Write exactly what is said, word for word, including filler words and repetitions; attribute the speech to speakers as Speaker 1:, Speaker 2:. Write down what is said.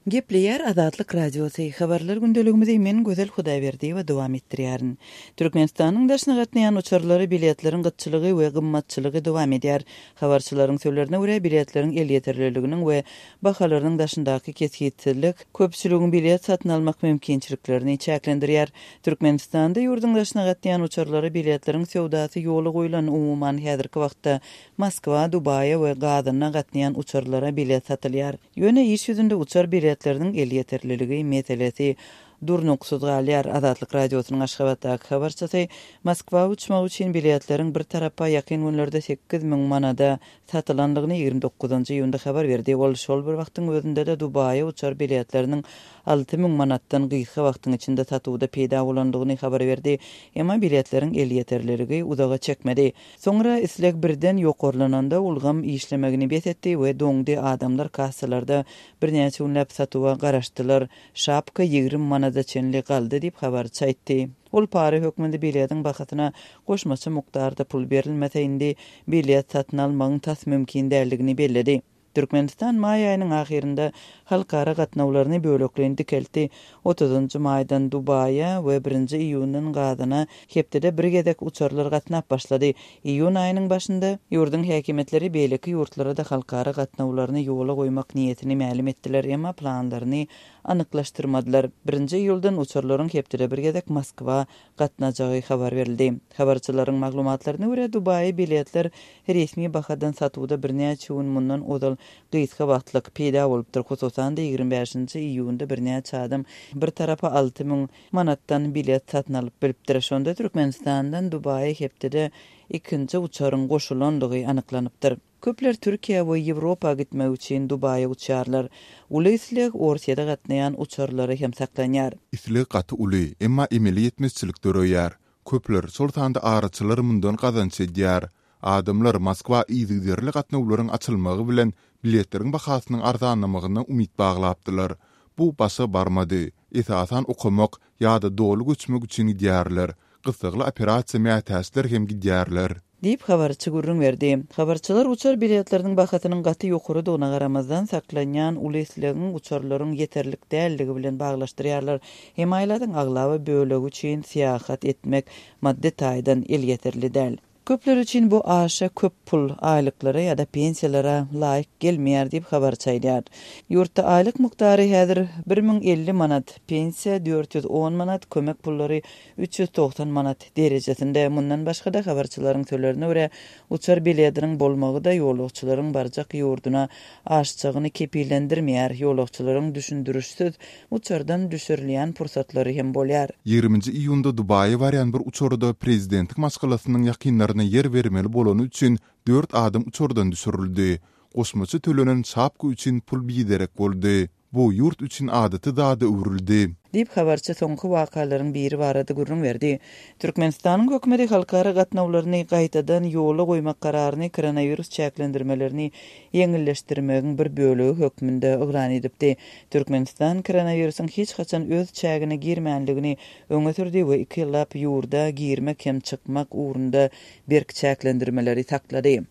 Speaker 1: Gepleýär Azatlyk Radiosy, Habarlar gündeligimizi men Gözel Hudaýberdiýewa dowam etdirýärin. Türkmenistanyň daşyna gatnaýan uçarlara biletleriň gytçylygy we gymmatçylygy dowam edýär. Habarçylaryň sözlerine görä, biletleriň elýeterliliginiň we bahalarynyň daşyndaky kesgitsizlik köpçüligiň bilet satyn almak mümkinçiliklerini çäklendirýär. Türkmenistanda ýurduň daşyna gatnaýan uçarlara biletleriň söwdasy ýola goýlan, umuman häzirki wagtda Moskwa, Dubaýa we Gazana gatnaýan uçarlara bilet satylýar. Ýöne iş ýüzünde uçar biletleriniň elýeterliligi meselesi durnuksyz galýar. Azatlyk Radiosynyň Aşgabatdaky habarçysy Moskwa uçmak üçin biletleriň bir tarapa ýakyn günlerde sekiz müň manada satylandygyny ýigrimi dokuzynjy iýunda habar berdi. Ol şol bir wagtyň özünde-de Dubaýa uçar biletleriniň alty müň manatdan gysga wagtyň içinde satuwda peýda bolandygyny habar berdi. Emma biletleriň elýeterliligi uzaga çekmedi. Soňra isleg birden ýokarlananda ulgam işlemegini bes etdi we doňdy, adamlar kassalarda birnäçe günläp satuwa garaşdylar. Şapka ýigrimi manada çenli galdy diýip, habarçy aýtdy. Ol para hökmünde biletiň bahasyna goşmaça mukdarda pul berilmese, indi bilet satyn almagyň tas mümkin däldigini belledi. Türkmenistan maý aýynyň ahyrynda halkara gatnawlaryny bölekleýin dikeltdi. Otuzynjy maýdan Dubaýa we birinji iýundan Gazana hepdede bir gezek uçarlar gatnap başlady. Iýun aýynyň başynda ýurduň häkimiýetleri beýleki ýurtlara-da halkara gatnawlaryny ýola goýmak niýetini mälim etdiler, emma planlaryny anyklaşdyrmadylar. Birinji iýuldan uçarlaryň hepdede bir gezek Moskwa gatnajagy habar berildi. Habarçylaryň maglumatlaryna görä, Dubaýa biletler resmi bahadan satuwda birnäçe gün mundan ozal gysga wagtlyk peýda bolupdyr. Hususan-da, ýigrimi bäşinji iýunda birnäçe adam bir tarapa alty müň manatdan bilet satyn alyp bilipdir. Şonda Türkmenistandan Dubaýa hepdede ikinji uçaryň goşulandygy anyklanypdyr. Köpler Türkiýä we Ýewropa gitmek üçin Dubaýa uçýarlar. Uly isleg Orsýete gatnaýan uçarlara hem saklanýar.
Speaker 2: Isleg gaty uly, emma emeli ýetmezçilik döreýär. Köpler, şol sanda araçylar mundan gazanç edýär. Adamlar Moskwa yzygiderli gatnawlaryň açylmagy bilen biletleriň bahasynyň arzanlamagyna umyt baglapdylar. Bu başa barmady. Esasan okamak ýa-da doly göçmek üçin gidýärler. Gyssagly operasiýa mätäçler hem gidýärler.
Speaker 1: Diýip, habarçy gürrüň berdi. Habarçylar uçar biletleriniň bahasynyň gaty ýokarydygyna garamazdan, saklanýan uly islegiň uçarlaryň ýeterlik däldigi bilen baglaşdyrýarlar. Hemaýladyň aglaba bölegi üçin syýahat etmek maddy taýdan elýeterli däl. Köpler üçin bu aşa köp pul, aýlyklara ýa-da pensiýalara laýyk gelmeýär diýip, habarçy aýdýar. Ýurtda aýlyk mukdary häzir bir müň elli manat, pensiýa dört ýüz on manat, kömek pullary üç ýüz togsan manat derejesinde. Mundan başga-da, habarçylaryň sözlerine görä, uçar biletiniň bolmagy-da ýolagçylaryň barjak ýurduna aşjagyny kepillendirmeýär, ýolagçylaryň düşündirişsiz uçardan düşürilýän pursatlary hem bolýar.
Speaker 2: Ýigriminji iýunda Dubaýa barýan bir uçarda prezidentiň maşgalasynyň ýakynlaryna ýer bermeli bolany üçin dört adam uçardan düşürildi. Goşmaça tölenen şapka üçin pul biderek boldy. Bu ýurt üçin adaty zada öwrüldi.
Speaker 1: Diýip, habarçy soňky wakalaryň biri barada gürrüň berdi. Türkmenistanyň hökümeti halkara gatnawlaryny gaýtadan ýola goýmak kararyny koronawirus çäklendirmelerini ýeňilleşdirmegiň bir bölegi hökmünde yglan edipdi. Türkmenistan koronawirusyň hiç haçan öz çägine girmänligini öňe sürdi we iki ýyllap ýurda girmek hem çykmak ugrunda berk çäklendirmeleri saklady.